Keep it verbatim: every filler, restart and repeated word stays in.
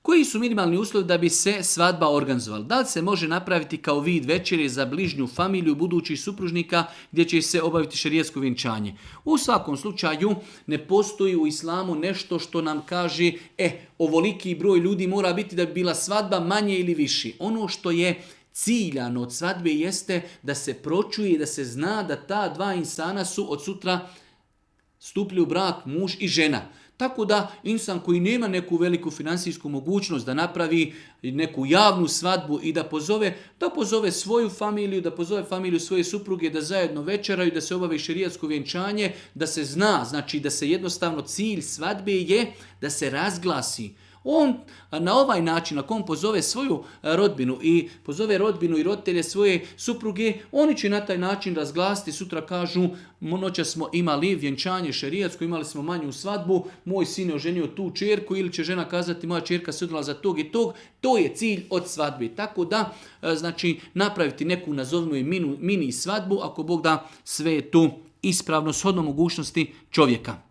Koji su minimalni uslovi da bi se svadba organizovala? Da li se može napraviti kao vid večere za bližnju familiju budućih supružnika gdje će se obaviti šerijatsko vjenčanje? U svakom slučaju ne postoji u islamu nešto što nam kaže e, ovoliki broj ljudi mora biti da bi bila svadba manje ili viši. Ono što je ciljano od svadbe jeste da se pročuje, da se zna da ta dva insana su od sutra stupili u brak, muž i žena. Tako da insan koji nema neku veliku financijsku mogućnost da napravi neku javnu svadbu i da pozove, da pozove svoju familiju, da pozove familiju svoje supruge, da zajedno večeraju, da se obavi šerijatsko vjenčanje, da se zna, znači da se jednostavno cilj svadbe je da se razglasi. On na ovaj način, ako on pozove svoju rodbinu i pozove rodbinu i roditelje svoje supruge, oni će na taj način razglasiti, sutra kažu, noćas smo imali vjenčanje šerijatsko, imali smo manju svadbu, moj sin je oženio tu čerku, ili će žena kazati moja čerka se udala za tog i tog, to je cilj od svadbe. Tako da, znači, napraviti neku, nazovimo je mini, mini svadbu, ako Bog da, sve je tu ispravno, shodno mogućnosti čovjeka.